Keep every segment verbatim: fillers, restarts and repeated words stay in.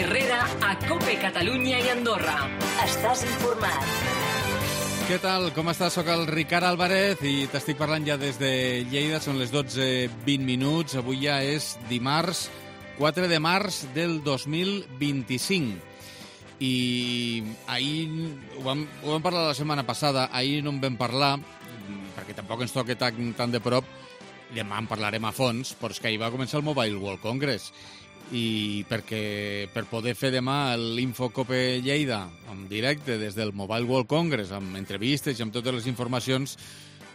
Herrera a COPE Catalunya i Andorra. Estàs informat. Què tal? Com estàs? Soc el Ricard Álvarez i t'estic parlant ja des de Lleida. Són les dotze vint minuts. Avui ja és dimarts, quatre de març del dos mil vint-i-cinc. I ahir ho vam, ho vam parlar la setmana passada, ahir no en vam parlar, perquè tampoc ens toca tan, tan de prop. Demà en parlarem a fons, però és que ahir va començar el Mobile World Congress. I perquè per poder fer demà l'Infocope Lleida en directe des del Mobile World Congress, amb entrevistes i amb totes les informacions,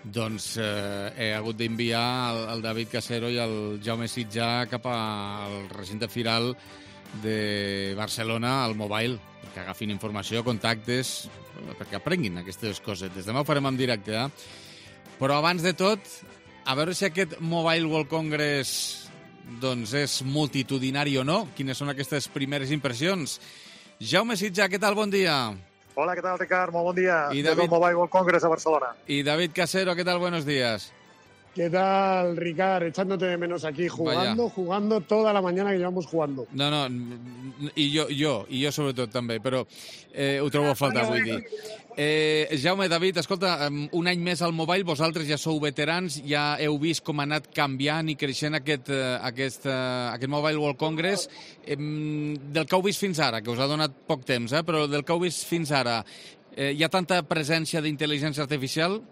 doncs eh, he hagut d'enviar el, el David Casero i el Jaume Sitjà cap al recinte firal de Barcelona, al Mobile, que agafin informació, contactes, perquè aprenguin aquestes coses. Des demà ho farem en directe, eh? Però abans de tot, a veure si aquest Mobile World Congress doncs és multitudinari o no. Quines són aquestes primeres impressions? Jaume Sitjà, què tal? Bon dia. Hola, ¿qué tal, Ricard? Muy buen día. Y Desde David... el Mobile World Congress a Barcelona. Y David Casero, ¿qué tal? Buenos días. ¿Qué tal, Ricard? Echándote de menos aquí, jugando, Vaya. jugando toda la mañana que llevamos jugando. No, no, i jo, jo, i jo sobretot també, però eh, ho trobo a faltar, vull dir. Eh, Jaume, David, escolta, un any més al Mobile, vosaltres ja sou veterans, ja heu vist com ha anat canviant i creixent aquest, aquest, aquest Mobile World Congress. Eh, del que heu vist fins ara, que us ha donat poc temps, eh, però del que heu vist fins ara, eh, hi ha tanta presència d'intel·ligència artificial?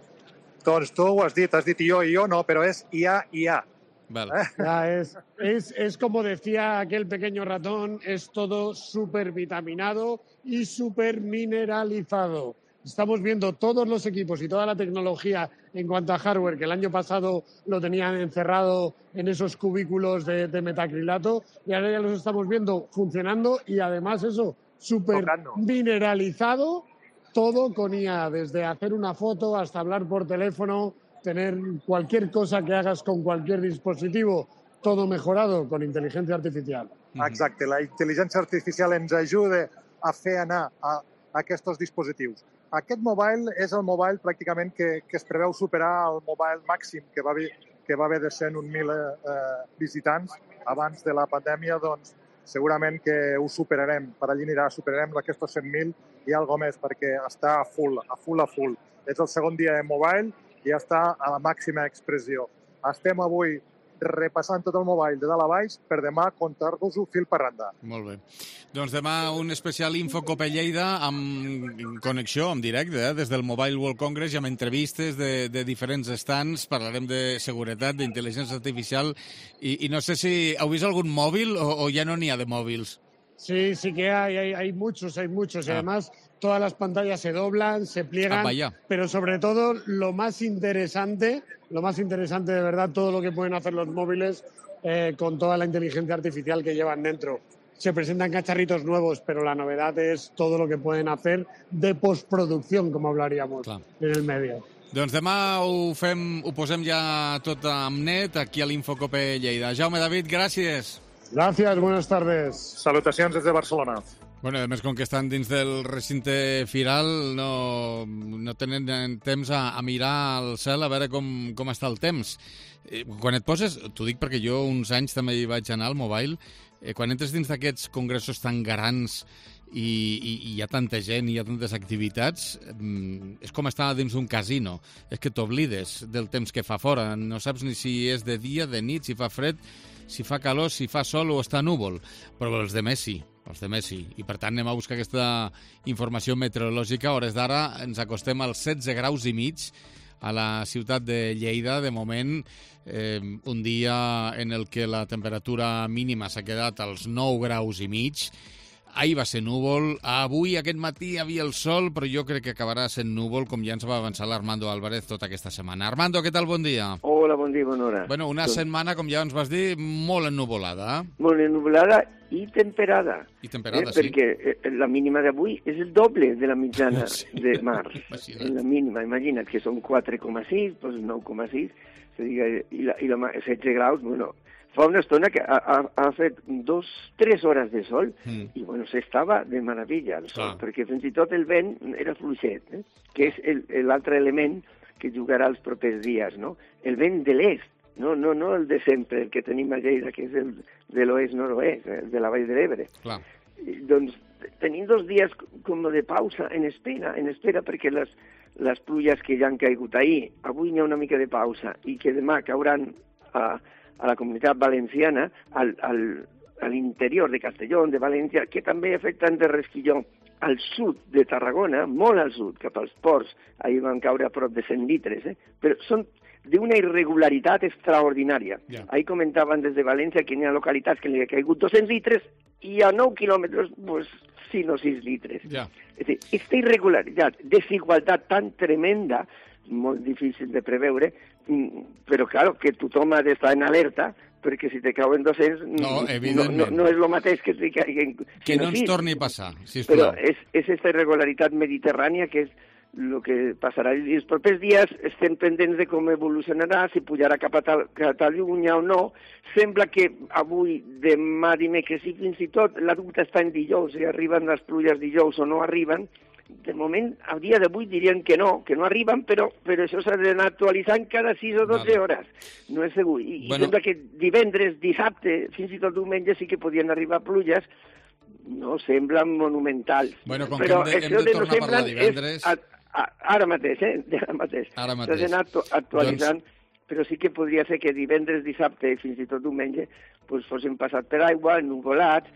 Doncs tu ho has dit, has dit yo y yo, no, pero es I A, I A. Vale. Ya, es, es, es como decía aquel pequeño ratón, es todo súper vitaminado y súper mineralizado. Estamos viendo todos los equipos y toda la tecnología en cuanto a hardware, que el año pasado lo tenían encerrado en esos cubículos de, de metacrilato, y ahora ya los estamos viendo funcionando y además eso, súper mineralizado. Todo con I A, desde hacer una foto hasta hablar por teléfono, tener cualquier cosa que hagas con cualquier dispositivo, todo mejorado con inteligencia artificial. Exacte, la intel·ligència artificial ens ajuda a fer anar a, a aquests dispositius. Aquest mobile és el mobile pràcticament que, que es preveu superar el mobile màxim que va haver, que va haver de cent un mil eh, visitants abans de la pandèmia, doncs segurament que ho superarem. Per allí anirà, superarem aquests cent mil i algo més, perquè està a full, a full, a full. És el segon dia de Mobile i ja està a la màxima expressió. Estem avui repassant tot el Mobile de dalt a baix per demà contar-vos-ho fil per randa. Molt bé. Doncs demà un especial Infocope Lleida amb connexió, en directe, eh? Des del Mobile World Congress i amb entrevistes de, de diferents stands. Parlarem de seguretat, d'intel·ligència artificial i, i no sé si heu vist algun mòbil o, o ja no n'hi ha de mòbils. Sí, sí que hay, hay, hay muchos, hay muchos. Y ah. además todas las pantallas se doblan, se pliegan, ah, pero sobre todo lo más interesante, lo más interesante de verdad, todo lo que pueden hacer los móviles eh, con toda la inteligencia artificial que llevan dentro. Se presentan cacharritos nuevos, pero la novedad es todo lo que pueden hacer de postproducción, como hablaríamos Clar. en el medio. Doncs demà ho fem, ho posem ja tot amb net aquí a l'Infocope Lleida. Jaume, David, gràcies. Gracias, buenas tardes. Salutacions des de Barcelona. Bueno, a més, com que estan dins del recinte firal, no, no tenen temps a, a mirar al cel a veure com, com està el temps. Eh, quan et poses, t'ho dic perquè jo uns anys també hi vaig anar al Mobile, eh, quan entres dins d'aquests congressos tan grans i, i, i hi ha tanta gent i hi ha tantes activitats, eh, és com estar dins d'un casino. És que t'oblides del temps que fa fora. No saps ni si és de dia, de nit, si fa fred, si fa calor, si fa sol o està núvol. Però els de Messi, els de Messi. I per tant anem a buscar aquesta informació meteorològica. A hores d'ara ens acostem als setze graus i mig a la ciutat de Lleida. De moment, eh, un dia en el que la temperatura mínima s'ha quedat als nou graus i mig. Ahir va ser núvol, avui aquest matí hi havia el sol, però jo crec que acabarà sent núvol, com ja ens va avançar l'Armando Álvarez tota aquesta setmana. Armando, què tal? Bon dia. Hola, bon dia, bona hora. Bueno, una setmana, com ja ens vas dir, molt ennuvolada. Eh? Molt ennuvolada i temperada. I temperada, eh, sí. Perquè la mínima d'avui és el doble de la mitjana sí. de març. La mínima, imagina't que són quatre coma sis, doncs nou coma sis, i la, i la setze graus, bueno... Fa una estona que ha, ha, ha fet dos, tres hores de sol mm. i bueno, s'estava de meravella el sol, ah. perquè fins i tot el vent era fluixet, eh? Que és l'altre element que jugarà els propers dies, no? El vent de l'est, no, no, no el de sempre, el que tenim a Lleida, que és el de l'oest-nord-oest, el de la Vall de l'Ebre. doncs tenim dos dies com de pausa en espera, en espera perquè les, les pluges que ja han caigut ahir, avui hi ha una mica de pausa i que demà cauran a, a la comunitat valenciana, al, al, a l'interior de Castelló, de València, que també afecten de resquilló al sud de Tarragona, molt al sud, cap als ports, ahir van caure a prop de cent litres, eh? Però són d'una irregularitat extraordinària. Yeah. Ahí comentaven des de València que hi ha localitats que li ha caigut dos-cents litres i a nou quilòmetres, pues, cinc o sis litres. Yeah. És a dir, aquesta irregularitat, desigualtat tan tremenda, molt difícil de preveure, però, claro, que tothom ha d'estar en alerta, perquè si te cauen dos-cents no, no, no, no és el mateix que si caiguen... Que no ens torni a passar, sisplau. Però és, és aquesta irregularitat mediterrània que és el que passarà. I els propers dies estem pendents de com evolucionarà, si pujarà cap a Catalunya o no. Sembla que avui, demà, dimecres i fins i tot la dubte està en dijous, si arriben les pluges dijous o no arriben. De moment, al dia d'avui dirien que no, que no arriben, però, però això s'ha d'anar actualitzant cada sis o dotze vale. hores. No és segur. I, bueno. I sembla que divendres, dissabte, fins i tot diumenge sí que podien arribar pluges, no semblen monumentals. Bueno, com però que hem de, hem de, de tornar no a parlar divendres... A, a, ara mateix, eh? Ara mateix. Ara mateix. S'ha d'anar actualitzant, doncs... però sí que podria ser que divendres, dissabte i fins i tot diumenge pues, fossin passat per aigua, nuvolats,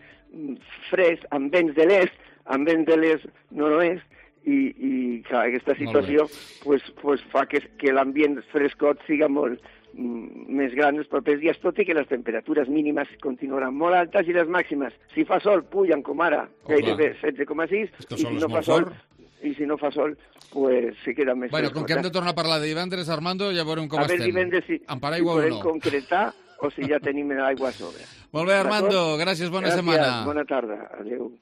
fresc, amb vents de l'est, amb vents de l'est nord-oest, i, i clar, aquesta situació pues, pues, fa que, que l'ambient frescot siga molt mm, més gran els propers dies, tot i que les temperatures mínimes continuaran molt altes i les màximes, si fa sol, pugen com ara, oh, gairebé setze coma sis, i si no fa sol, i si no fa sol, pues se queda més bueno, frescot. Com que hem de tornar a parlar de divendres, Armando, ja veurem com a estem. A veure divendres si, si podem no. concretar o si ja tenim l'aigua a sobre. Molt bé, Armando, gràcies, bona gràcies, setmana. Bona tarda, adéu.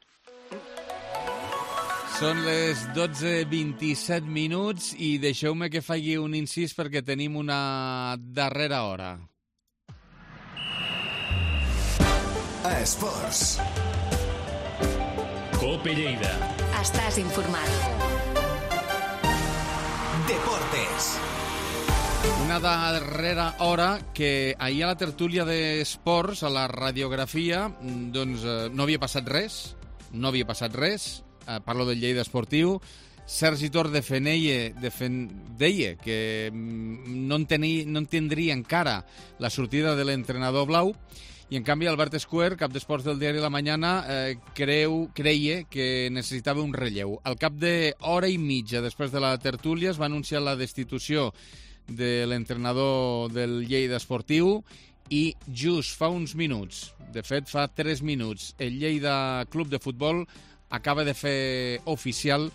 Són les dotze vint-i-set minuts i deixeu-me que faci un incís perquè tenim una darrera hora. A Esports. Cope Lleida. Estàs informat. Deportes. Una darrera hora que ahir a la tertúlia d'esports, a la radiografia, doncs no havia passat res, no havia passat res, eh, parlo del Lleida Esportiu. Sergi Tor defeneia, defen, deia que no, entenia, no entendria encara la sortida de l'entrenador blau, i en canvi Albert Escuer, cap d'esports del diari La Mañana, eh, creu, creia que necessitava un relleu. Al cap d'hora i mitja després de la tertúlia es va anunciar la destitució de l'entrenador del Lleida Esportiu i just fa uns minuts, de fet fa tres minuts, el Lleida Club de Futbol acaba de fer oficial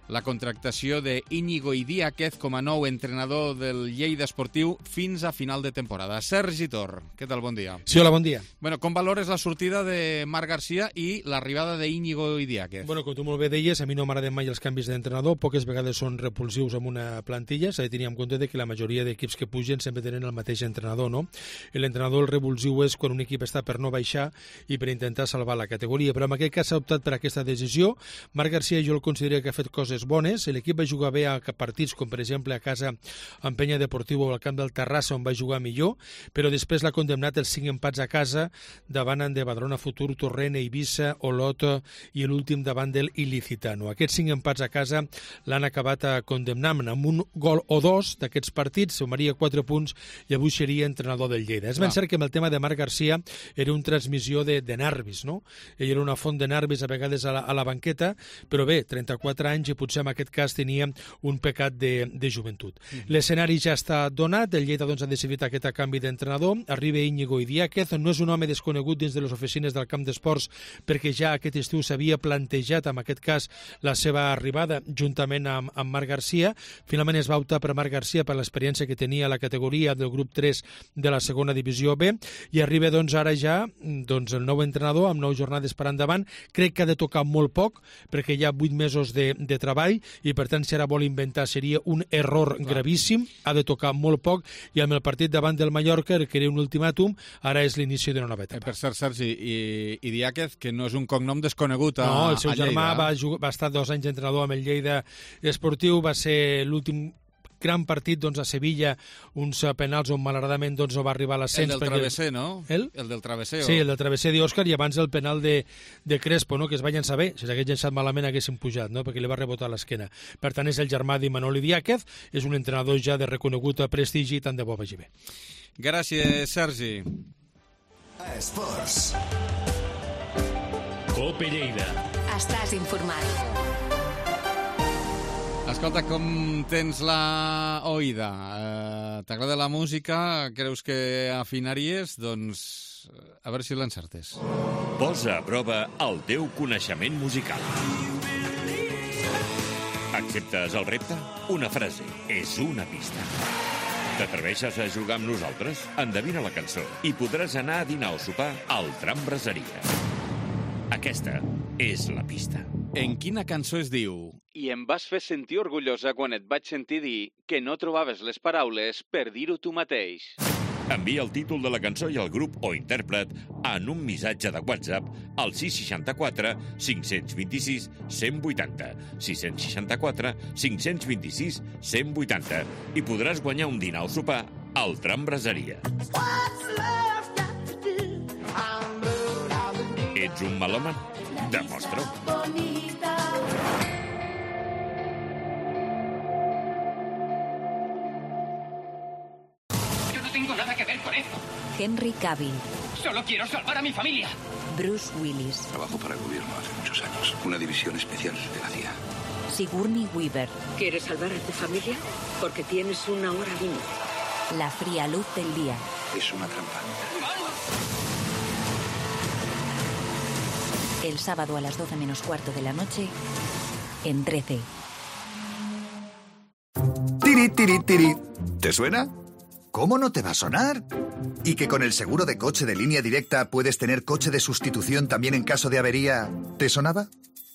la contractació d'Íñigo Idiáquez com a nou entrenador del Lleida Esportiu fins a final de temporada. Sergi Tor, què tal? Bon dia. Sí, hola, bon dia. Bueno, com valores la sortida de Marc García i l'arribada d'Íñigo Idiáquez? Bueno, com tu molt bé deies, a mi no m'agraden mai els canvis d'entrenador, poques vegades són repulsius amb una plantilla, s'ha de tenir en compte que la majoria d'equips que pugen sempre tenen el mateix entrenador, no? L'entrenador el revulsiu és quan un equip està per no baixar i per intentar salvar la categoria, però en aquest cas s'ha optat per aquesta decisió. Marc García jo el considero que ha fet coses bones, l'equip va jugar bé a partits com per exemple a casa amb Penya Deportiu o al camp del Terrassa on va jugar millor, però després l'ha condemnat els cinc empats a casa davant de Badalona Futur, Torrent, Eivissa, Olot i l'últim davant del Ilicitano. Aquests cinc empats a casa l'han acabat condemnant amb un gol o dos d'aquests partits, sumaria quatre punts i avui seria entrenador del Lleida. És ben cert que amb el tema de Marc García era una transmissió de, de nervis, no? Ell era una font de nervis a vegades a la, a la banqueta, però bé, trenta-quatre anys i potser en aquest cas tenia un pecat de, de joventut. Mm. L'escenari ja està donat, el Lleida doncs, ha decidit aquest canvi d'entrenador, arriba Íñigo Idiáquez, no és un home desconegut dins de les oficines del camp d'esports perquè ja aquest estiu s'havia plantejat en aquest cas la seva arribada juntament amb, amb Marc García. Finalment es va optar per Marc García per l'experiència que tenia a la categoria del grup tres de la segona divisió B i arriba doncs ara ja doncs, el nou entrenador amb nou jornades per endavant. Crec que ha de tocar molt poc perquè hi ha vuit mesos de, de treball i per tant si ara vol inventar seria un error Clar. gravíssim, ha de tocar molt poc i amb el partit davant del Mallorca que era un ultimàtum, ara és l'inici d'una nova etapa. Eh, per cert, Sergi, i, i Idiáquez, que no és un cognom desconegut a, no, el seu a Lleida. germà va, jugar, va estar dos anys entrenador amb el Lleida Esportiu, va ser l'últim gran partit doncs, a Sevilla, uns penals on malauradament doncs, no va arribar a l'ascens. El del perquè... travesser, no? El? El del travesser. Sí, o... el del travesser d'Òscar i abans el penal de, de Crespo, no? Que es va llançar bé. Si s'hagués llançat malament haguessin pujat, no? Perquè li va rebotar a l'esquena. Per tant, és el germà d'Imanol Diáquez, és un entrenador ja de reconegut prestigi, tant de bo vagi bé. Gràcies, Sergi. Esports. Cope Lleida. Estàs informat. Escolta, com tens la oïda? Eh, T'agrada la música? Creus que afinaries? Doncs a veure si l'encertes. Posa a prova el teu coneixement musical. Acceptes el repte? Una frase és una pista. T'atreveixes a jugar amb nosaltres? Endevina la cançó i podràs anar a dinar o sopar al Tram Braseria. Aquesta és la pista. En quina cançó es diu "I em vas fer sentir orgullosa quan et vaig sentir dir que no trobaves les paraules per dir-ho tu mateix"? Envia el títol de la cançó i el grup o intèrpret en un missatge de WhatsApp al sis seixanta-quatre cinc cents vint-i-sis cent vuitanta, sis seixanta-quatre cinc cents vint-i-sis cent vuitanta i podràs guanyar un dinar o sopar al Tram Braseria. Ets un melòman? Demostra-ho. Yo no tengo nada que ver con esto. Henry Cavill. Solo quiero salvar a mi familia. Bruce Willis. Trabajo para el gobierno hace muchos años. Una división especial de la C I A. Sigourney Weaver. ¿Quieres salvar a tu familia? Porque tienes una hora límite. La fría luz del día. Es una trampa. El sábado a las doce menos cuarto de la noche, en trece. Tiri, tiri, tiri. ¿Te suena? ¿Cómo no te va a sonar? ¿Y que con el seguro de coche de Línea Directa puedes tener coche de sustitución también en caso de avería? ¿Te sonaba?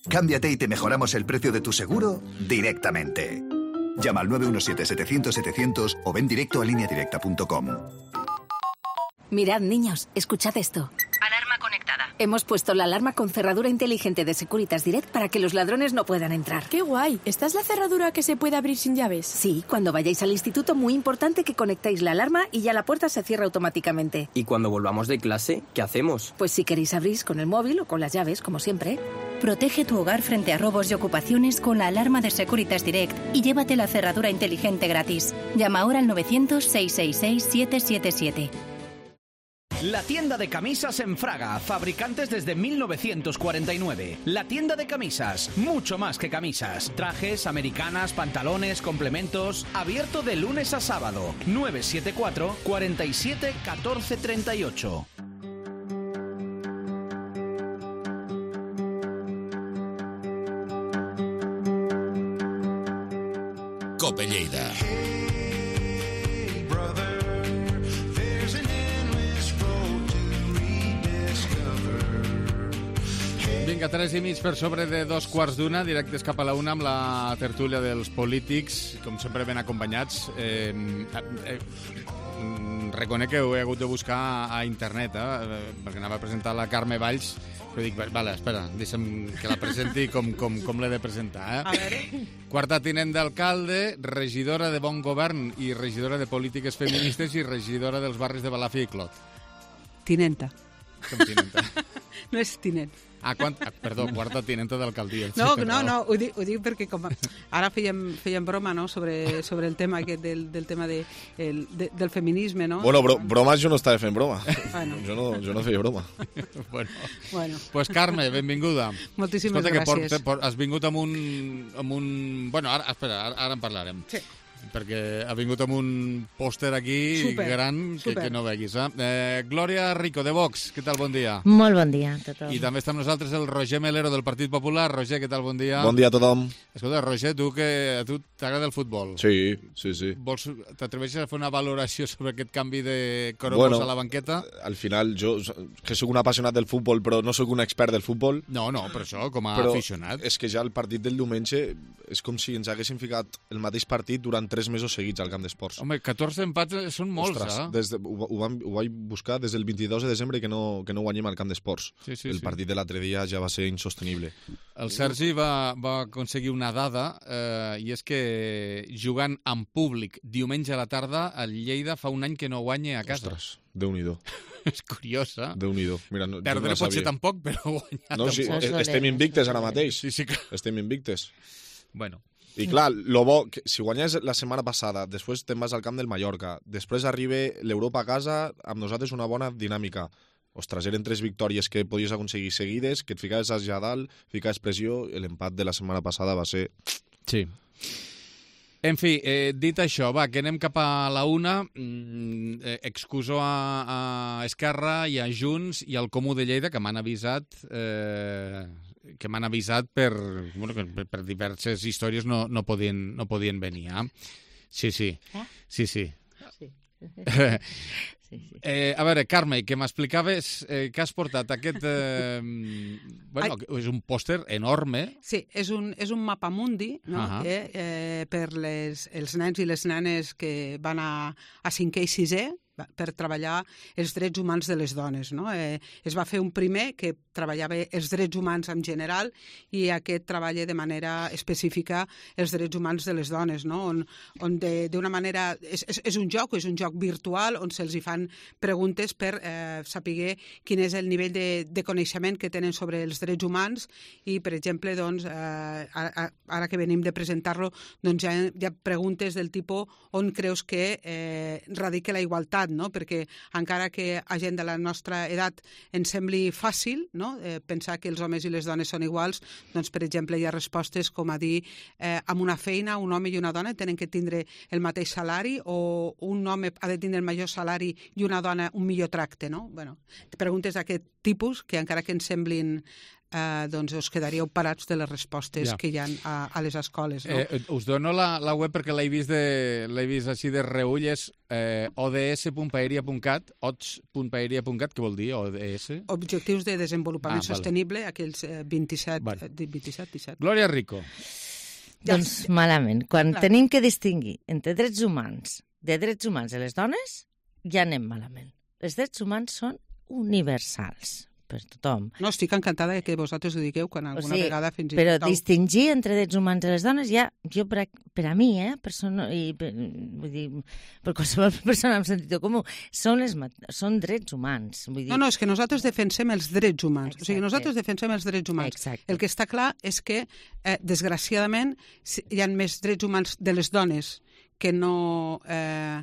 Cámbiate y te mejoramos el precio de tu seguro directamente. Llama al nueve uno siete setecientos setecientos o ven directo a línea directa punto com. Mirad, niños, escuchad esto. Alarma conectada. Hemos puesto la alarma con cerradura inteligente de Securitas Direct para que los ladrones no puedan entrar. ¡Qué guay! ¿Esta es la cerradura que se puede abrir sin llaves? Sí, cuando vayáis al instituto, muy importante que conectéis la alarma y ya la puerta se cierra automáticamente. ¿Y cuando volvamos de clase, qué hacemos? Pues si queréis abrís con el móvil o con las llaves, como siempre. Protege tu hogar frente a robos y ocupaciones con la alarma de Securitas Direct y llévate la cerradura inteligente gratis. Llama ahora al novecientos, seiscientos sesenta y seis, siete siete siete. La tienda de camisas en Fraga, fabricantes desde mil novecientos cuarenta y nueve. La tienda de camisas, mucho más que camisas. Trajes, americanas, pantalones, complementos. Abierto de lunes a sábado. nueve siete cuatro, cuarenta y siete, catorce treinta y ocho. Cope Lleida. Vinga, tres i mig per sobre de dos quarts d'una, directes cap a la una amb la tertúlia dels polítics, com sempre ben acompanyats. Eh, eh, reconec que ho he hagut de buscar a internet, eh, perquè anava a presentar la Carme Valls, però dic, vale, espera, deixa'm que la presenti com, com, com l'he de presentar. Eh? A veure. Quarta tinent d'alcalde, regidora de Bon Govern i regidora de Polítiques Feministes i regidora dels barris de Balàfia i Clot. Tinenta. Com tinenta? No és tinent. Ah, quan... ah, perdó, quarta tinenta d'alcaldia. No, no, no, ho dic, ho dic perquè com ara fèiem, fèiem broma, no?, sobre, sobre el tema aquest del, del tema de, el, de, del feminisme, no? Bueno, bro, bromes jo no estava fent broma. Bueno. Jo, no, jo no feia broma. Bueno. Bueno. Pues Carme, benvinguda. Moltíssimes Escolta, gràcies. Que por, por, has vingut amb un, amb un... Bueno, ara, espera, ara, ara en parlarem. Sí. Perquè ha vingut amb un pòster aquí super, gran que, super. que no veguis. Eh? Eh, Glòria Rico, de Vox, què tal? Bon dia. Molt bon dia a tothom. I també està amb nosaltres el Roger Melero, del Partit Popular. Roger, què tal? Bon dia. Bon dia a tothom. Escolta, Roger, tu que a tu t'agrada el futbol. Sí, sí, sí. Vols, t'atreveixes a fer una valoració sobre aquest canvi de Coromos bueno, a la banqueta? Al final, jo que sóc un apassionat del futbol, però no sóc un expert del futbol. No, no, per això, com a però aficionat. És que ja el partit del diumenge és com si ens haguessin ficat el mateix partit durant tres mesos seguits al camp d'esports. Home, catorze empats són molts, Ostres, eh? Des de, ho, ho, vam, ho vaig buscar des del vint-i-dos de desembre que no, que no guanyem al camp d'esports. Sí, sí, el sí. partit de l'altre dia ja va ser insostenible. El Sergi va, va aconseguir una dada, eh, i és que jugant en públic diumenge a la tarda, el Lleida fa un any que no guanya a casa. Ostres, Déu-n'hi-do. És curiós, eh? Déu-n'hi-do. Mira, no, Perdre no potser tampoc, però guanyar no, sí, tampoc. Estem invictes ara mateix. Sí, sí que... Estem invictes. Bueno. I clar, lo bo, que si guanyes la setmana passada, després te'n vas al camp del Mallorca, després arriba l'Europa a casa, amb nosaltres una bona dinàmica. Ostres, eren tres victòries que podies aconseguir seguides, que et ficaves allà a dalt, ficaves pressió, l'empat de la setmana passada va ser... Sí. En fi, eh, dit això, va, que anem cap a la una. Mm, eh, excuso a, a Esquerra i a Junts i al Comú de Lleida, que m'han avisat eh, que m'han avisat per, bueno, per, per diverses històries no, no, podien, no podien venir. Eh? Sí, sí. Eh? Sí, sí. Sí. Sí, sí. Eh, a veure, Carme, que m'explicaves eh, que has portat aquest... Eh, bueno, Ai. és un pòster enorme. Sí, és un, és un mapamundi, no? Uh-huh. eh, eh, per les, els nens i les nenes que van a, a cinquè i sisè, per treballar els drets humans de les dones. No? Eh, es va fer un primer que treballava els drets humans en general i aquest treballa de manera específica els drets humans de les dones, no? on, on d'una manera... És, és, és un joc, és un joc virtual on se'ls hi fan preguntes per eh, saber quin és el nivell de, de coneixement que tenen sobre els drets humans i, per exemple, doncs, eh, ara, ara que venim de presentar-lo, doncs hi ha, hi ha preguntes del tipus on creus que eh, radica la igualtat, no? Perquè encara que a gent de la nostra edat ens sembli fàcil, no? eh, pensar que els homes i les dones són iguals, doncs, per exemple, hi ha respostes com a dir eh, amb una feina un home i una dona tenen que tindre el mateix salari o un home ha de tindre el major salari i una dona un millor tracte, no? Bueno, preguntes d'aquest tipus que encara que ens semblin eh, doncs us quedaríeu parats de les respostes ja. que hi ha a, a les escoles. No? Eh, us dono la, la web perquè l'he vist, de, l'he vist així de reull, és eh, o d s punt paeria punt cat, o d s punt paeria punt cat, què vol dir, O D S? Objectius de Desenvolupament ah, Sostenible, aquells eh, vint-i-set, vale. vint-i-set, disset. Glòria Rico. Ja doncs sé. Malament. Quan Clar. tenim que distingir entre drets humans de drets humans de les dones, ja anem malament. Els drets humans són universals per tothom. No, estic encantada que vosaltres ho digueu quan alguna o sigui, vegada fins i però tot... Però distingir entre drets humans i les dones ja, jo per a, per a mi, eh, persona, i per, vull dir, per qualsevol persona amb sentit comú, són, les, són drets humans. Vull dir... No, no, és que nosaltres defensem els drets humans. Exacte. O sigui, nosaltres defensem els drets humans. Exacte. El que està clar és que, eh, desgraciadament, hi ha més drets humans de les dones que no... Eh,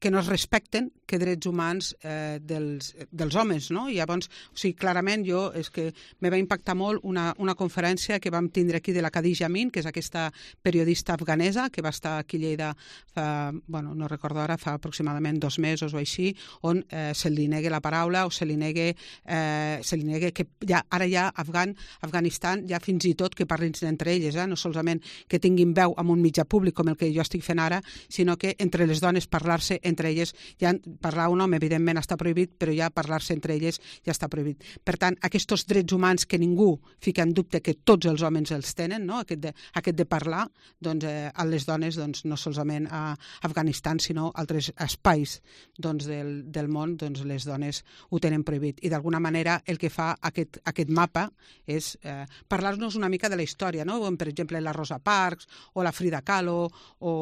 que no es respecten que drets humans eh, dels, dels homes, no? I llavors, o sigui, clarament jo, és que me va impactar molt una, una conferència que vam tindre aquí de la Khadija Amin, que és aquesta periodista afganesa que va estar aquí a Lleida fa, bueno, no recordo ara, fa aproximadament dos mesos o així, on eh, se li negui la paraula o se li negui, eh, se li negui que ja, ara ja Afgan, Afganistan, ja fins i tot que parlin entre elles, eh? No solament que tinguin veu amb un mitjà públic com el que jo estic fent ara, sinó que entre les dones parlar-se entre elles, ja parlar un home evidentment està prohibit, però ja parlar-se entre elles ja està prohibit. Per tant, aquests drets humans que ningú fica en dubte que tots els homes els tenen, no? aquest, de, aquest de parlar, doncs eh, a les dones doncs, no solament a Afganistan, sinó a altres espais doncs, del, del món, doncs les dones ho tenen prohibit. I d'alguna manera el que fa aquest, aquest mapa és eh, parlar-nos una mica de la història, no? Per exemple, la Rosa Parks, o la Frida Kahlo, o,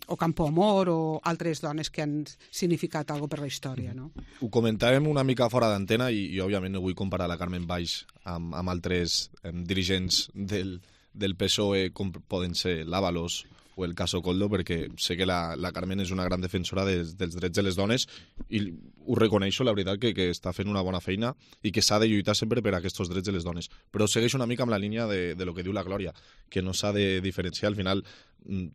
o Campo Amor, o altres dones que han significat alguna per la història, no? Ho comentàvem una mica fora d'antena i, i òbviament no vull comparar la Carmen Baix amb, amb altres em, dirigents del, del P S O E com poden ser l'Ábalos o el Caso Coldo, perquè sé que la, la Carmen és una gran defensora de, dels drets de les dones i ho reconeixo, la veritat, que, que està fent una bona feina i que s'ha de lluitar sempre per aquests drets de les dones. Però segueixo una mica amb la línia de, de lo que diu la Glòria, que no s'ha de diferenciar. Al final,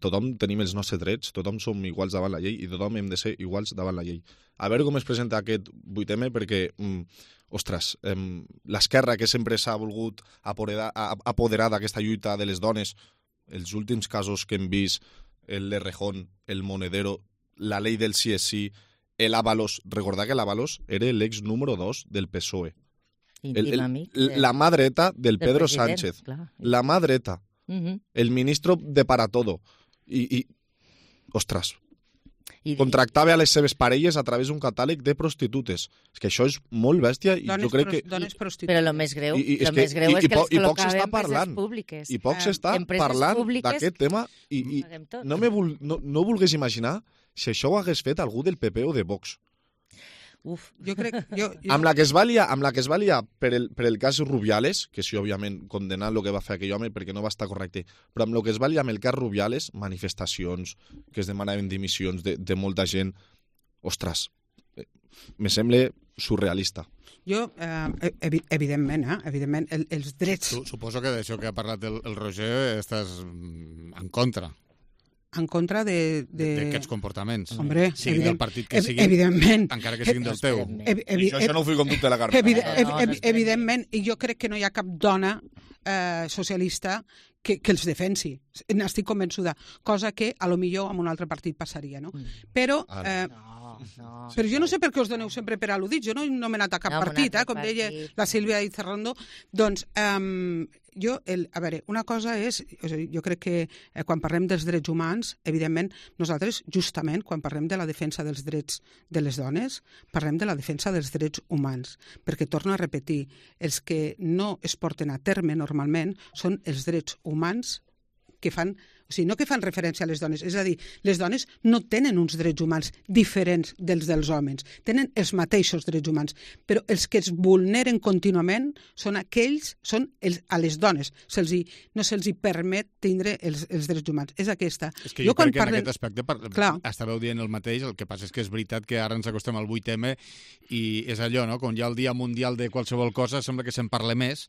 tothom tenim els nostres drets, tothom som iguals davant la llei i tothom hem de ser iguals davant la llei. A veure com es presenta aquest vuit eme, perquè... Mm, ostres, eh, l'esquerra que sempre s'ha volgut apoderar, apoderar d'aquesta lluita de les dones, els últims casos que hem vist, el de Rejón, el Monedero, la llei del sí és sí, l'Ábalos, recordar que l'Ábalos era l'ex número dos del P S O E. El, el, la mà dreta del, del Pedro Sánchez. Clar. La mà dreta. Uh-huh. El ministro de para todo. I, i ostres, I contractava a les seves parelles a través d'un catàleg de prostitutes. És que això és molt bèstia i dones jo crec que... Dones Però el més greu, I, i, lo més greu i, és que i, les i poc s'està col·locava en parlant. empreses públiques. I poc s'està Empreses parlant públiques d'aquest tema i, i no, me vul, no, no vulgués imaginar si això ho hagués fet algú del P P o de Vox. Uf, jo crec... Jo, jo... Amb la que es va liar, amb la que es va liar per, el, per el cas Rubiales, que sí, òbviament, condenant el que va fer aquell home perquè no va estar correcte, però amb el que es va liar amb el cas Rubiales, manifestacions, que es demanaven dimissions de, de molta gent, ostres, me sembla surrealista. Jo, eh, evi evidentment, eh, evidentment el, els drets... Suposo que d'això que ha parlat el, el Roger estàs en contra. En contra de... d'aquests de... comportaments. Hombre, siguin del partit que siguin, evidentment. Encara que siguin del teu. Evi evi I això no ho fico en dubte la Carme. Evi evi evi evidentment, i jo crec que no hi ha cap dona eh, socialista que, que els defensi. N'estic convençuda. Cosa que, a lo millor, amb un altre partit passaria, no? Però... Eh, No, però jo no sé per què us doneu sempre per al·ludits. Jo no he nomenat a cap no, partit, eh, com partit. deia la Sílvia Izarrondo. Doncs, um, jo, el, a veure, una cosa és, o sigui, jo crec que eh, quan parlem dels drets humans, evidentment, nosaltres, justament, quan parlem de la defensa dels drets de les dones, parlem de la defensa dels drets humans. Perquè, torno a repetir, els que no es porten a terme normalment són els drets humans que fan... O sigui, no que fan referència a les dones, és a dir, les dones no tenen uns drets humans diferents dels dels homes, tenen els mateixos drets humans, però els que es vulneren contínuament són aquells, són els, a les dones, se'ls hi, no se'ls hi permet tindre els, els drets humans. És aquesta. És que jo, jo crec que parlen... en aquest aspecte par... estàveu dient el mateix, el que passa és que és veritat que ara ens acostem al vuit eme i és allò, no? Quan hi ha el Dia Mundial de qualsevol cosa sembla que se'n parla més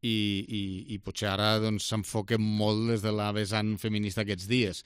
i, i, i potser ara doncs, s'enfoquen molt des de la vessant feminista aquests dies.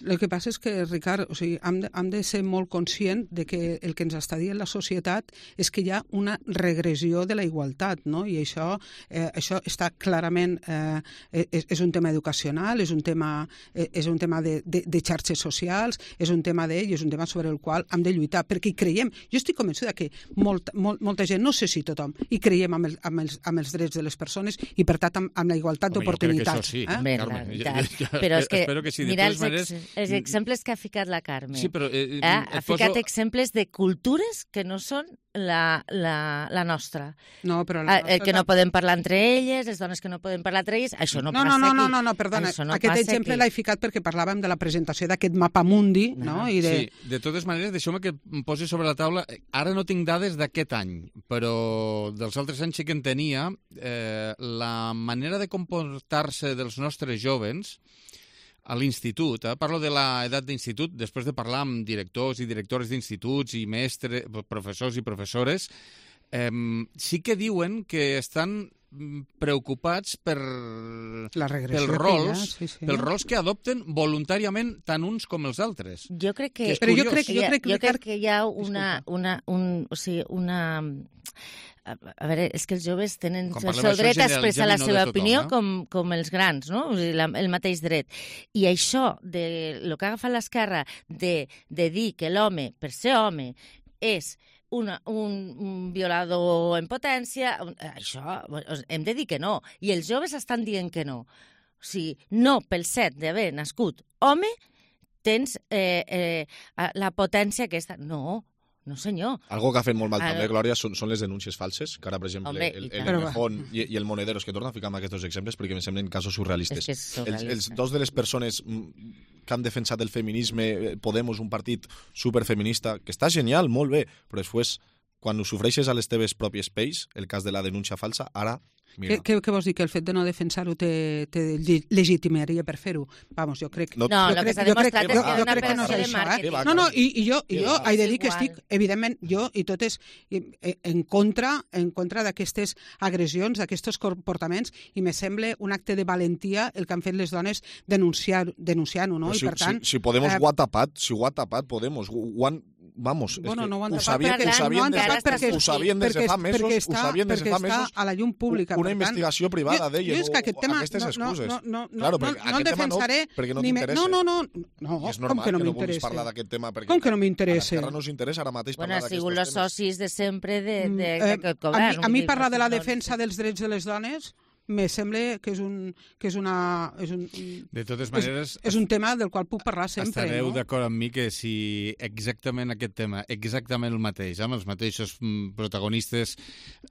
El que passa és que, Ricard, o sigui, hem, de, hem de ser molt conscient de que el que ens està dient la societat és que hi ha una regressió de la igualtat, no? I això, eh, això està clarament... Eh, és, és un tema educacional, és un tema, eh, és un tema de, de, de xarxes socials, és un tema d'ell, és un tema sobre el qual hem de lluitar, perquè hi creiem. Jo estic convençuda que molt, molt, molta gent, no sé si tothom, hi creiem amb, el, amb, els, amb els drets de les persones i, per tant, amb, amb la igualtat d'oportunitats. Sí, eh? Bé, Carme, ja, ja, ja, però és que, espero que sí. mira De els, maneres... els exemples que ha ficat la Carme. Sí, però... Eh, eh? Ha ficat poso... exemples de cultures que no són la, la, la nostra. No, però la nostra... Eh, que no podem parlar entre elles, les dones que no poden parlar entre elles, això no, no passa no, no, aquí. No, no, no, perdona. No Aquest exemple l'he ficat perquè parlàvem de la presentació d'aquest mapa mundi, no? I de... Sí, de totes maneres, deixeu-me que em posi sobre la taula... Ara no tinc dades d'aquest any, però dels altres anys sí que en tenia. Eh, la manera de comportar-se dels nostres jovens a l'institut, eh? Parlo de l'edat d'institut, després de parlar amb directors i directores d'instituts i mestres, professors i professores, eh, sí que diuen que estan preocupats per la regressió pels rols, ha, sí, sí. pels rols que adopten voluntàriament tant uns com els altres. Jo crec que, que però jo crec, jo crec, jo crec que hi ha una, una, un, o sigui, una... A veure, és que els joves tenen el seu dret a expressar la seva opinió com, com els grans, no? O sigui, la, el mateix dret. I això, de el que ha agafat l'esquerra, de, de dir que l'home, per ser home, és una, un, un violador en potència, això hem de dir que no. I els joves estan dient que no. O sigui, no pel fet d'haver nascut home tens eh, eh, la potència aquesta. No, no, senyor. Algo que ha fet molt mal també, Glòria, són, són les denúncies falses, que ara, per exemple, Hombre, el, el Mejón i, i el Monederos, que torna a ficar amb aquests exemples perquè em semblen casos surrealistes. És que és els, els dos de les persones que han defensat el feminisme, Podemos, un partit superfeminista, que està genial, molt bé, però després, quan ho sofreixes a les teves pròpies pells, el cas de la denúncia falsa, ara... Què, què, què vols dir? Que el fet de no defensar-ho te, te legitimaria per fer-ho? Vamos, jo crec... No, no el que s'ha demostrat és que és una operació de màrqueting. No, no, i, i jo, i jo he de dir que estic, evidentment, jo i totes en contra en contra d'aquestes agressions, d'aquests comportaments, i me sembla un acte de valentia el que han fet les dones denunciar-ho, denunciar no? Si, I per tant... Si, si Podemos eh, ho ha tapat, si ho ha tapat Podemos, ho han... Vamos, bueno, és que no ho han ho sabien, perquè, ho sabien, no des, perquè, ho sabien des de fa mesos, està, ho sabien des de fa mesos, a la llum pública. Una investigació tant, privada d'ella, jo, jo no, aquestes excuses. No, no, no, claro, no, no el defensaré... No, perquè no t'interessa. No, no, no, no, és normal com que no que no vulguis m'interessa. parlar d'aquest tema, perquè com que no m'interessa? A l'esquerra no us interessa ara mateix bueno, parlar d'aquests temes. Bueno, han sigut els socis de sempre d'aquest govern. A mi parlar de la defensa dels drets de les dones me sembla que és un, que és una, és un, de totes maneres, és, és un tema del qual puc parlar sempre. Estareu no? d'acord amb mi que si exactament aquest tema, exactament el mateix, amb els mateixos protagonistes,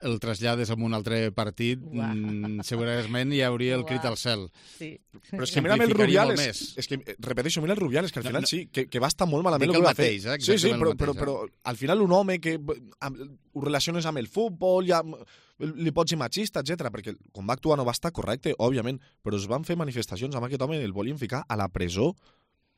el trasllades a un altre partit, mm, segurament hi hauria el crit al cel. Sí. Però és que mira el Rubiales, és que, repeteixo, mira el Rubiales, que al final no, no, sí, que, que va estar molt malament el que va fer. Eh, sí, sí, però, però, però al final un home que ho relaciones amb el futbol, ja li pots dir machista, etcètera, perquè com va actuar no va estar correcte, òbviament, però es van fer manifestacions amb aquest home i el volien ficar a la presó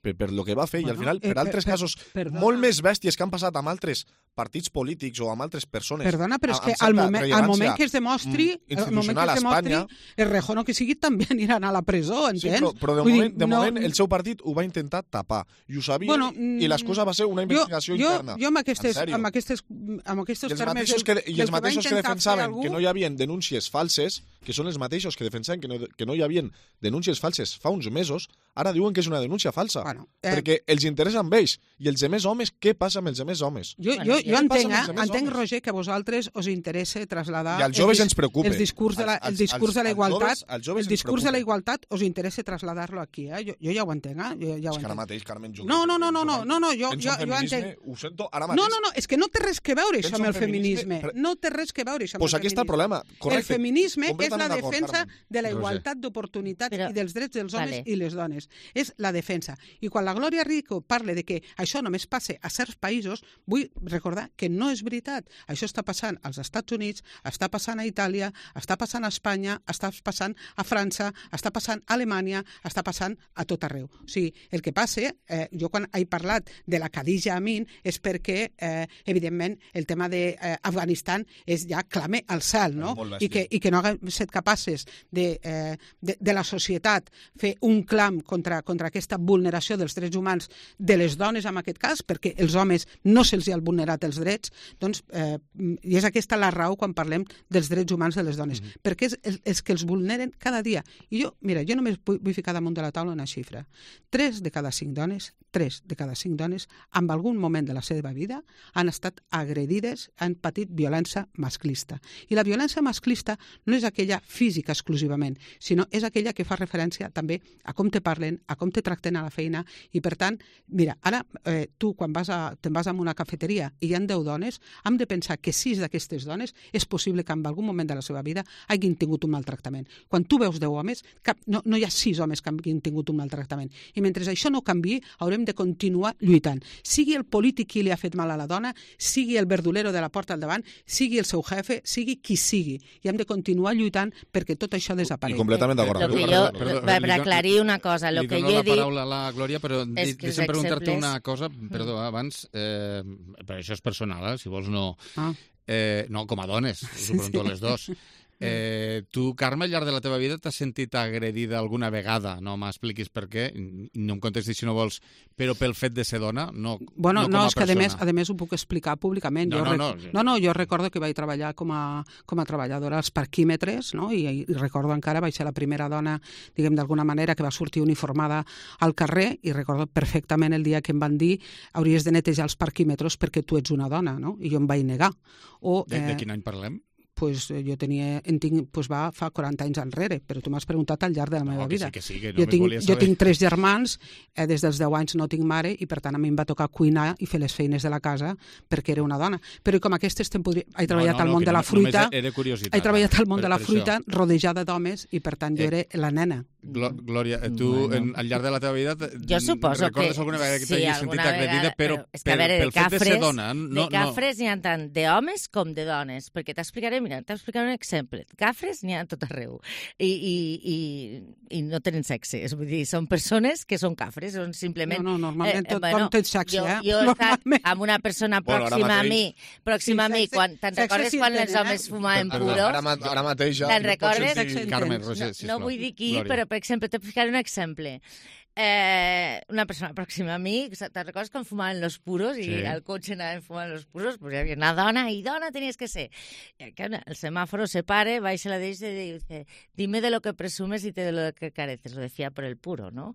per, per lo que va fer, bueno, i al final, per eh, altres per, casos per, molt més bèsties que han passat amb altres partits polítics o amb altres persones. Perdona, però és que al moment, al moment que es demostri, al moment que es demostri, el Rejón o que sigui també aniran a la presó, entens? Sí, però, però de, moment, dir, de no... moment el seu partit ho va intentar tapar, i ho sabia, bueno, i l'excusa va ser una investigació jo, interna. Jo, jo amb aquestes, amb aquestes, amb aquestes termes... Que, I els mateixos que defensaven algú... que no hi havia denúncies falses, que són els mateixos que defensaven que no, que no hi havia denúncies falses fa uns mesos, ara diuen que és una denúncia falsa, bueno, eh... perquè els interessa amb ells, i els demés homes, què passa amb els demés homes? Jo, jo, jo entenc, eh? entenc, Roger, que a vosaltres us interessa traslladar... I als joves ens preocupa. El discurs de la, el discurs de la igualtat, el discurs de la igualtat us interessa traslladar-lo aquí, eh? Jo, jo ja ho entenc, eh? Jo, ja ho és que ara mateix, Carmen, jo... No, no, no, no, no, no, no jo, jo, jo entenc... Ho sento ara mateix. No, no, no, és que no té res que veure això amb el feminisme. No té res que veure això amb el feminisme. Pues aquí està el problema, correcte. El feminisme és la defensa de la igualtat d'oportunitats i dels drets dels homes i les dones. És la defensa. I quan la Glòria Rico parla de que això només passa a certs països, vull recordar que no és veritat. Això està passant als Estats Units, està passant a Itàlia, està passant a Espanya, està passant a França, està passant a Alemanya, està passant a tot arreu. O sigui, el que passa, eh, jo quan he parlat de la Khadija Amin és perquè, eh, evidentment, el tema d'Afganistan eh, és ja clame al cel, no? I que, i que no haguem estat capaces de, eh, de, de la societat fer un clam contra, contra aquesta vulneració dels drets humans de les dones, en aquest cas, perquè els homes no se'ls han vulnerat els drets, doncs, eh, i és aquesta la raó quan parlem dels drets humans de les dones, mm-hmm. perquè és, és, és que els vulneren cada dia. I jo, mira, jo només vull, vull ficar damunt de la taula una xifra. Tres de cada cinc dones, tres de cada cinc dones, en algun moment de la seva vida, han estat agredides, han patit violència masclista. I la violència masclista no és aquella física exclusivament, sinó és aquella que fa referència també a com te parlen, a com te tracten a la feina, i per tant, mira, ara eh, tu quan vas a, te'n vas a una cafeteria i hi ha deu dones, hem de pensar que sis d'aquestes dones és possible que en algun moment de la seva vida hagin tingut un maltractament. Quan tu veus deu homes, cap, no, no hi ha sis homes que hagin tingut un maltractament. I mentre això no canviï, haurem de continuar lluitant. Sigui el polític qui li ha fet mal a la dona, sigui el verdulero de la porta al davant, sigui el seu jefe, sigui qui sigui. I hem de continuar lluitant perquè tot això desaparegui. I completament d'acord. Lo que jo, per aclarir una cosa, lo que jo he dit... Li dono la paraula a la Glòria, però deixa'm preguntar-te una cosa, perdó, abans, eh, però això és personal, eh, si vols no... Ah. Eh, no, com a dones, us ho pregunto a les dos. Eh, tu, Carme, al llarg de la teva vida t'has sentit agredida alguna vegada? No m'expliquis per què, no em contestis si no vols, però pel fet de ser dona, no, bueno, no com no, a és que persona. A més, a més ho puc explicar públicament. No, jo no, rec... no, no, no, jo recordo que vaig treballar com a, com a treballadora als parquímetres, no? I, i recordo encara, vaig ser la primera dona, diguem d'alguna manera, que va sortir uniformada al carrer, i recordo perfectament el dia que em van dir hauries de netejar els parquímetres perquè tu ets una dona, no? I jo em vaig negar. O, de, eh... de quin any parlem? Pues jo tenia, en tinc, pues va fa quaranta anys enrere, però tu m'has preguntat al llarg de la meva no, vida. Que sí, que sí, que no jo, tinc, saber. jo tinc tres germans, eh, des dels deu anys no tinc mare, i per tant a mi em va tocar cuinar i fer les feines de la casa perquè era una dona. Però com aquestes te'n podria... He treballat no, no, al món no, de la no, fruita, he treballat al món per, de la fruita rodejada d'homes, i per tant jo eh, era la nena. Glòria, tu bueno. en, al llarg de la teva vida jo suposo recordes que, alguna vegada que sí, t'hagis sentit agredida, però, però és que, a veure, pel fet de ser dona. No, de cafres n'hi ha tant d'homes com de dones, perquè t'explicaré, mira, t'explicaré un exemple. Cafres n'hi ha tot arreu i, i, i, i no tenen sexe, és vull dir, són persones que són cafres, són simplement... No, no, normalment eh, tot bueno, té sexe, jo, eh? Jo he estat amb una persona pròxima bueno, a mi, pròxima sí, a mi, sexe, quan, te'n recordes sí quan els homes fumaven puros? Ara, ara mateix ja... Te'n recordes? Carme, Roger, no, no vull dir qui, Glòria. Però, per exemple, t'explicaré un exemple. Eh, una persona pròxima a mi, te'n recordes quan fumaven los puros i Sí. al cotxe anaven fumant los puros? Pues hi havia una dona i dona tenies que ser. I el semàforo se pare, baixa la deixa i dice, dime de lo que presumes y de lo que careces. Lo decía por el puro, no?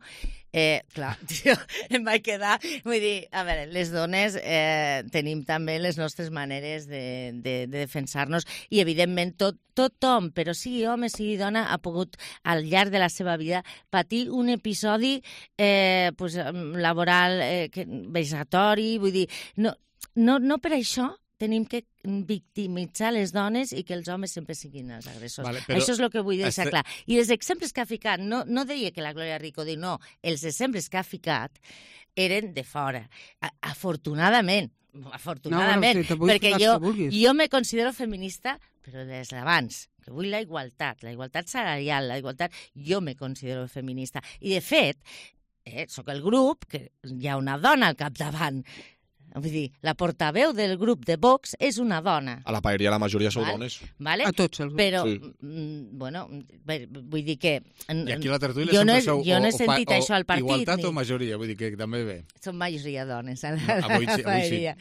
Eh, clar, tio, em vaig quedar... Vull dir, a veure, les dones eh, tenim també les nostres maneres de, de, de defensar-nos i, evidentment, tot, tothom, però sigui home, sigui dona, ha pogut, al llarg de la seva vida, patir un episodi eh, pues, laboral eh, que, vexatori, vull dir, no, no, no per això tenim que victimitzar les dones i que els homes sempre siguin els agressors. Vale, però això és el que vull deixar este... clar. I els exemples que ha ficat, no, no deia que la Glòria Rico diu, no, els exemples que ha ficat eren de fora. A, afortunadament, afortunadament, no, bueno, perquè jo, jo me considero feminista, però des d'abans, que vull la igualtat, la igualtat salarial, la igualtat, jo me considero feminista. I, de fet, eh, sóc el grup, que hi ha una dona al capdavant. Vull dir, la portaveu del grup de Vox és una dona. A la paeria la majoria sou Val? dones. Vale? A tots els grups. Però, Sí. mm, bueno, bé, vull dir que... I aquí a la tertúlia jo no sempre he, sou jo no he o, sentit o, això al partit. igualtat ni... o majoria, vull dir que també ve. Són majoria dones a la, No, avui sí, avui sí. paeria.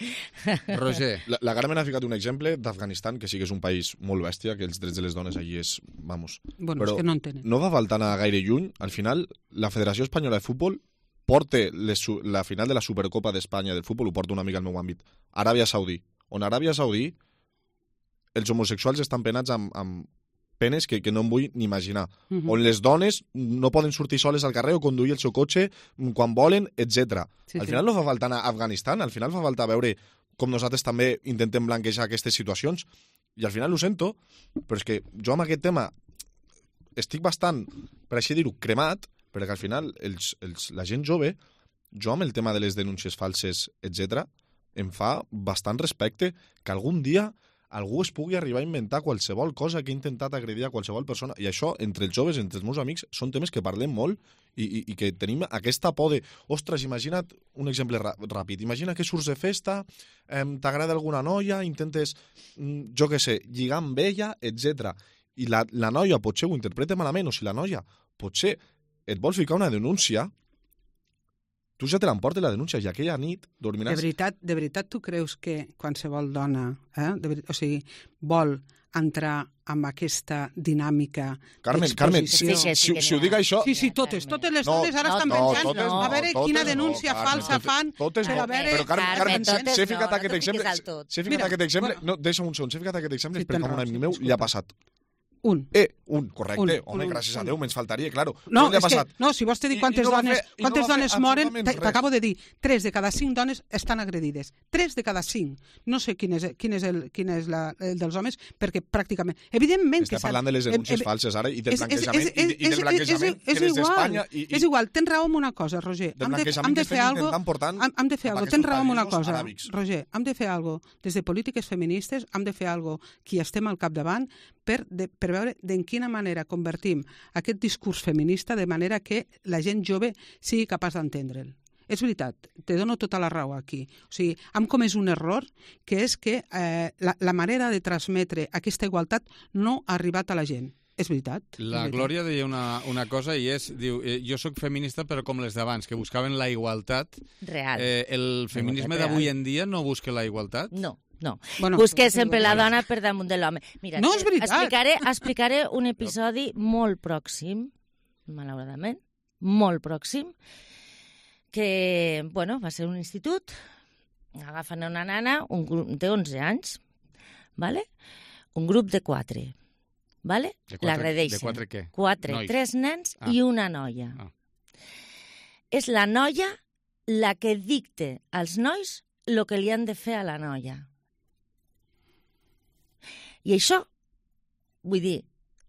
Roger. La, la Carmen ha ficat un exemple d'Afganistan, que sí que és un país molt bèstia, que els drets de les dones allí és... Vamos. Bueno, Però és que no en tenen. no va faltar anar gaire lluny. Al final, la Federació Espanyola de Futbol porta les, la final de la Supercopa d'Espanya del futbol, ho porta una mica al meu àmbit, Aràbia Saudí, on a Aràbia Saudí els homosexuals estan penats amb, amb penes que, que no em vull ni imaginar, Uh -huh. on les dones no poden sortir soles al carrer o conduir el seu cotxe quan volen, etcètera. Sí, al sí. final no fa falta anar a Afganistan, al final fa falta veure com nosaltres també intentem blanquejar aquestes situacions, i al final ho sento, però és que jo amb aquest tema estic bastant, per així dir-ho, cremat, perquè al final els, els, la gent jove, jo amb el tema de les denúncies falses, etcètera, em fa bastant respecte que algun dia algú es pugui arribar a inventar qualsevol cosa que ha intentat agredir a qualsevol persona. I això, entre els joves, entre els meus amics, són temes que parlem molt i, i, i que tenim aquesta por de... Ostres, imagina't un exemple ràpid. Imagina que surts de festa, eh, t'agrada alguna noia, intentes, jo què sé, lligar amb ella, etcètera. I la, la noia potser ho interpreta malament, o si la noia potser et vols ficar una denúncia, tu ja te l'emportes la denúncia i aquella nit dormiràs... De veritat, de veritat tu creus que qualsevol dona, eh, de veritat, o sigui, vol entrar amb aquesta dinàmica Carmen, Carmen, si, si, si, si ho dic això... Sí, sí, totes, totes les No, dones ara no, estan no, pensant totes a no, veure totes quina no, denúncia Carmen, falsa totes- fan totes per no. a veure... Però, Carmen, Carmen, totes s'he no, ficat no aquest te exemple... fiquis al tot. S'he ficat Mira, aquest exemple... bueno. No, deixa'm un segon, s'he ficat aquest exemple Sí, perquè tens a un raó, amic sí, meu disculpa. li ha passat. Un. Eh, un, correcte. Un, Home, un, gràcies a un. Déu, me'ns faltaria, claro. No, Però li ha és que, passat. no, si vols te dir I- quantes i no va dones, fer- i no quantes va fer dones moren, absolutament t- res. t'acabo de dir, tres de cada cinc dones estan agredides. Tres de cada cinc. No sé quin és, quin és, el, quin és la, el dels homes, perquè pràcticament... Evidentment Està que... s'ha- parlant de les denúncies eh, eh, falses ara i del és- és- blanquejament és- i, de- i del és- blanquejament és- que és des igual, d'Espanya i, i És igual, tens raó en una cosa, Roger. del Hem de, blanquejament hem de que fer estem algo, intentant portant hem, hem de fer cap a algo. Tens aquests raó en una països cosa, aràbics. Roger. Hem de fer algo des de polítiques feministes, hem de fer algo qui estem al capdavant per, de, per veure d'en quina manera convertim aquest discurs feminista de manera que la gent jove sigui capaç d'entendre'l. És veritat, te dono tota la raó aquí. O sigui, hem comès un error, que és que eh, la, la manera de transmetre aquesta igualtat no ha arribat a la gent. És veritat. La és veritat. Glòria deia una, una cosa i és, diu, eh, jo sóc feminista però com les d'abans, que buscaven la igualtat. Real. Eh, el feminisme Real. d'avui en dia no busca la igualtat? No. No, Bueno, busque sempre la dona per damunt de l'home. Mira, No, és veritat. Explicaré, explicaré un episodi molt pròxim, malauradament, molt pròxim, que, bueno, va ser un institut, agafen una nana, un grup de onze anys, ¿vale? Un grup de quatre, ¿vale? De quatre- L'agredeixen. de quatre què? Quatre, Nois. tres nens Ah. i una noia. Ah. És la noia la que dicta als nois el que li han de fer a la noia. I això, vull dir,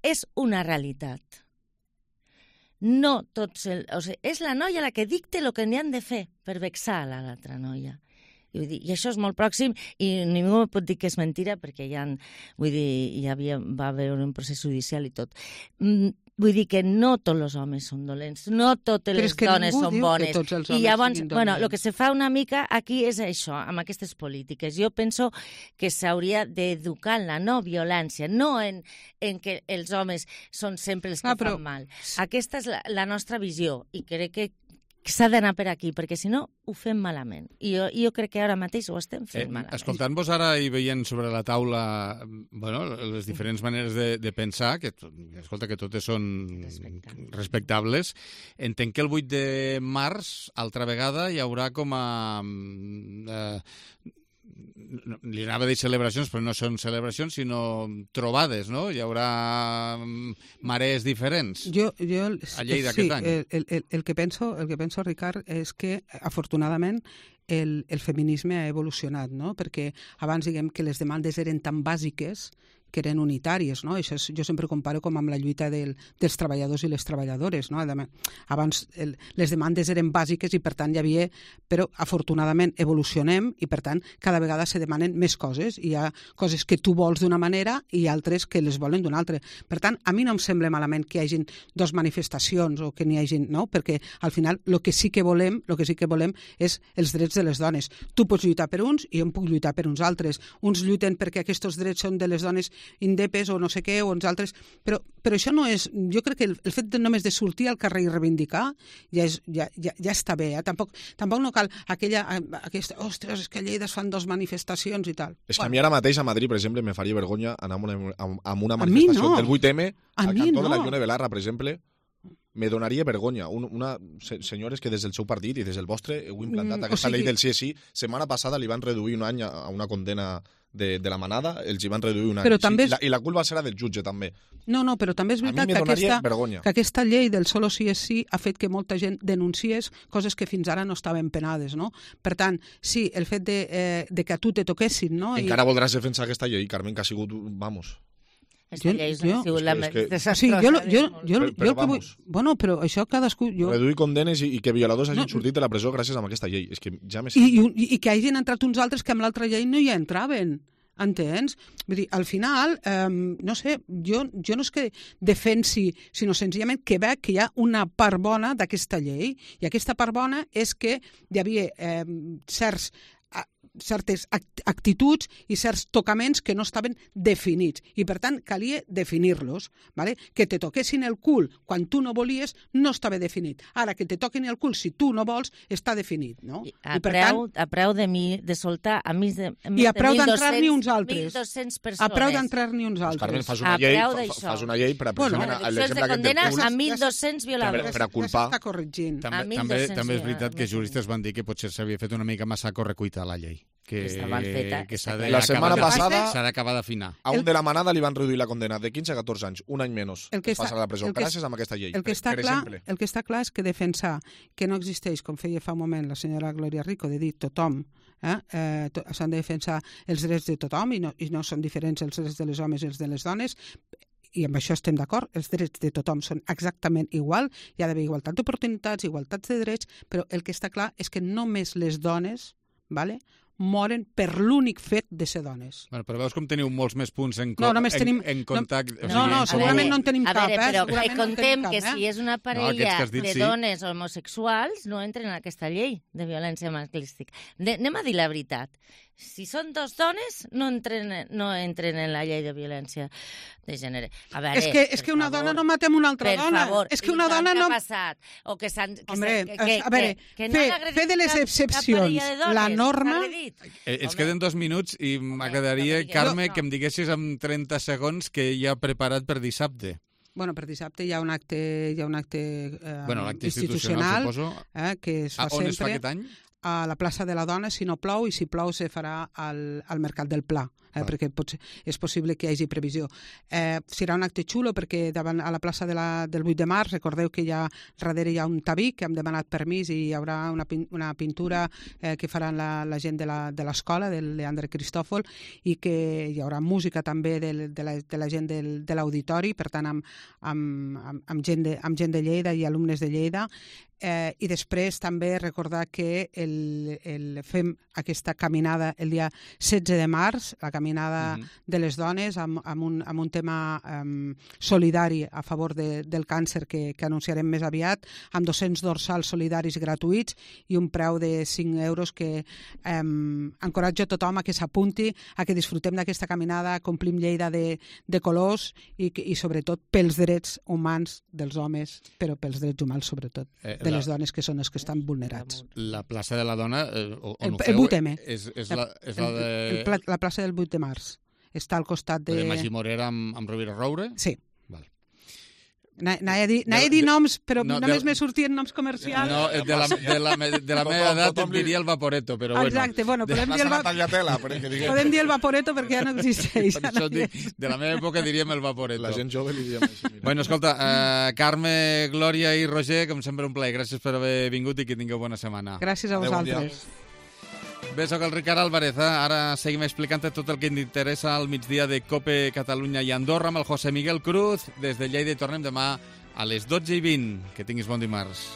és una realitat. No tots... El, o sigui, és la noia la que dicta el que n'hi han de fer per vexar a l'altra noia. I, vull dir, I això és molt pròxim i ningú pot dir que és mentira perquè ja, vull dir, hi havia, va haver un procés judicial i tot. Mm, vull dir que no tots els homes són dolents, no totes Però les és que dones ningú són diu que bones. tots els I homes llavors, siguin bueno, el dolents. que se fa una mica aquí és això, amb aquestes polítiques. Jo penso que s'hauria d'educar en la no violència, no en, en que els homes són sempre els que Ah, però- fan mal. Aquesta és la, la nostra visió i crec que que s'ha d'anar per aquí, perquè si no ho fem malament. I jo, jo crec que ara mateix ho estem fent eh, malament. Escoltant-vos ara i veient sobre la taula bueno, les diferents maneres de, de pensar, que, escolta, que totes són respectables. respectables, entenc que el vuit de març, altra vegada, hi haurà com a... Eh, li anava a dir celebracions, però no són celebracions, sinó trobades, no? Hi haurà marees diferents jo, jo, a Lleida sí, aquest any. El, el, el, que penso, el que penso, Ricard, és que, afortunadament, el, el feminisme ha evolucionat, no? Perquè abans, diguem, que les demandes eren tan bàsiques que eren unitàries, no? Això és, jo sempre comparo com amb la lluita del, dels treballadors i les treballadores, no? Abans el, les demandes eren bàsiques i per tant hi havia, però afortunadament evolucionem i per tant cada vegada se demanen més coses, hi ha coses que tu vols d'una manera i altres que les volen d'una altra. Per tant, a mi no em sembla malament que hi hagin dos manifestacions o que n'hi hagin, no? Perquè al final el que sí que volem, el que sí que volem és els drets de les dones. Tu pots lluitar per uns i jo em puc lluitar per uns altres. Uns lluiten perquè aquests drets són de les dones indepes o no sé què, o uns altres, però, però això no és... Jo crec que el, el fet de només de sortir al carrer i reivindicar ja, és, ja, ja, ja està bé, eh? Tampoc, tampoc no cal aquella... Aquesta, ostres, és que a Lleida es fan dos manifestacions i tal. És que a mi ara mateix a Madrid, per exemple, me faria vergonya anar amb una, amb una manifestació no. del vuit eme al cantó no. de la Ione Belarra, per exemple, me donaria vergonya. Un, una, se, senyores que des del seu partit i des del vostre heu implantat mm, aquesta o sigui... llei del sí és sí. Setmana passada li van reduir un any a una condena de, de la manada, els hi van reduir un any. Però també és... I, la, I la culpa serà del jutge, també. No, no, però també és veritat que aquesta, que aquesta llei del solo sí és sí ha fet que molta gent denunciés coses que fins ara no estaven penades, no? Per tant, sí, el fet de, eh, de que a tu te toquessin, no? Encara I... voldràs defensar aquesta llei, Carmen, que ha sigut, vamos... Aquesta llei és una sigut la més desastrosa. Sí, jo, jo, jo, però, jo vull... Bueno, però això cadascú... Jo... Reduir condenes i, i que violadors hagin no. sortit de la presó gràcies a aquesta llei. És que ja me... I, i, I que hagin entrat uns altres que amb l'altra llei no hi entraven. Entens? Vull dir, al final, eh, no sé, jo, jo no és que defensi, sinó senzillament que veig que hi ha una part bona d'aquesta llei, i aquesta part bona és que hi havia eh, certs certes actituds i certs tocaments que no estaven definits i per tant calia definir-los, ¿vale? Que te toquessin el cul quan tu no volies no estava definit. Ara que te toquin el cul si tu no vols està definit, no? A, I per preu, tant, a preu de, mi, de soltar a més de, a més i a preu de d'entrar-n'hi uns altres. mil dos-cents persones. A preu d'entrar-n'hi uns altres. Carmen, fas una, llei, fa, fas una llei per a bueno, l'exemple aquest del cul. A mil dos-cents violadors. Per a culpar. S'està corregint. També, també, també és veritat que juristes van dir que potser s'havia fet una mica massa correcuita a la llei. Que, que s'ha de, la setmana passada s'ha d'acabar d'afinar. A un de la manada li van reduir la condena de quinze a catorze anys, un any menys. El que passa a la presó, gràcies a aquesta llei. El que, està clar, el que està clar és que defensar que no existeix, com feia fa un moment la senyora Gloria Rico, de dir tothom, eh, eh, to, s'han de defensar els drets de tothom i no, i no són diferents els drets de les homes i els de les dones, i amb això estem d'acord, els drets de tothom són exactament igual, hi ha d'haver igualtat d'oportunitats, igualtats de drets, però el que està clar és que només les dones, vale, moren per l'únic fet de ser dones. Bueno, però veus com teniu molts més punts en, no, només en, tenim, en contacte... No, no, no segurament no en tenim a cap, veure, eh? Però contem no que cap, eh? si és una parella no, dit, de sí. dones homosexuals no entren en aquesta llei de violència masclística. De, anem a dir la veritat. Si són dos dones, no entren, no entren en la llei de violència de gènere. A veure, és que, és que una favor, dona no matem una altra per dona. Favor, és que una dona no... Què ha passat? O que s'han... Hombre, que, que, a veure, que, que fer, no fer de les excepcions dones, la norma... Eh, ens queden dos minuts i m'agradaria, Carme, no. que em diguessis en trenta segons que hi ha preparat per dissabte. Bueno, per dissabte hi ha un acte, hi ha un acte eh, bueno, institucional, institucional eh, que es fa ah, on sempre... es fa aquest any? A la plaça de la Dona, si no plou, i si plou se farà al, al Mercat del Pla, eh, perquè pot, és possible que hi hagi previsió. Eh, serà un acte xulo perquè davant a la plaça de la, del vuit de març, recordeu que hi ha, darrere hi ha un tabí que hem demanat permís i hi haurà una, una pintura eh, que faran la, la gent de l'escola, del Leandre Cristòfol, i que hi haurà música també de, de, la, de la gent del, de l'auditori, per tant amb, amb, amb, amb, gent de, amb gent de Lleida i alumnes de Lleida. Eh, I després també recordar que el, el, fem aquesta caminada el dia setze de març, la caminada uh -huh. de les dones amb, amb, un, amb un tema um, solidari a favor de, del càncer que, que anunciarem més aviat, amb dos-cents dorsals solidaris gratuïts i un preu de cinc euros que um, encoratjo a tothom a que s'apunti, a que disfrutem d'aquesta caminada, complim Lleida de, de colors i, i sobretot pels drets humans dels homes, però pels drets humans sobretot, eh, de la... les dones que són els que estan vulnerats. La plaça de la dona, eh, on el, ho el feu, vuit eme. és, és, la, és la de... El, el, la plaça del vuit de març. Està al costat de... De Magí Morera amb, amb Rovira Roure? Sí. Val. Anava a dir, de, dir noms, però no, només me sortien noms comercials. No, de la, de la, de la meva edat em diria el Vaporeto, però bueno. Exacte, bueno, podem dir el, va... podem dir el Vaporeto perquè ja no existeix. Per això dic, de la meva època diríem el Vaporeto. La gent jove li diem així. Bueno, escolta, uh, Carme, Glòria i Roger, com sempre un plaer. Gràcies per haver vingut i que tingueu bona setmana. Gràcies a vosaltres. Bé, soc el Ricard Álvarez. Eh? Ara seguim explicant tot el que ens interessa al migdia de COPE Catalunya i Andorra amb el José Miguel Cruz. Des de Lleida i tornem demà a les dotze i vint. Que tinguis bon dimarts.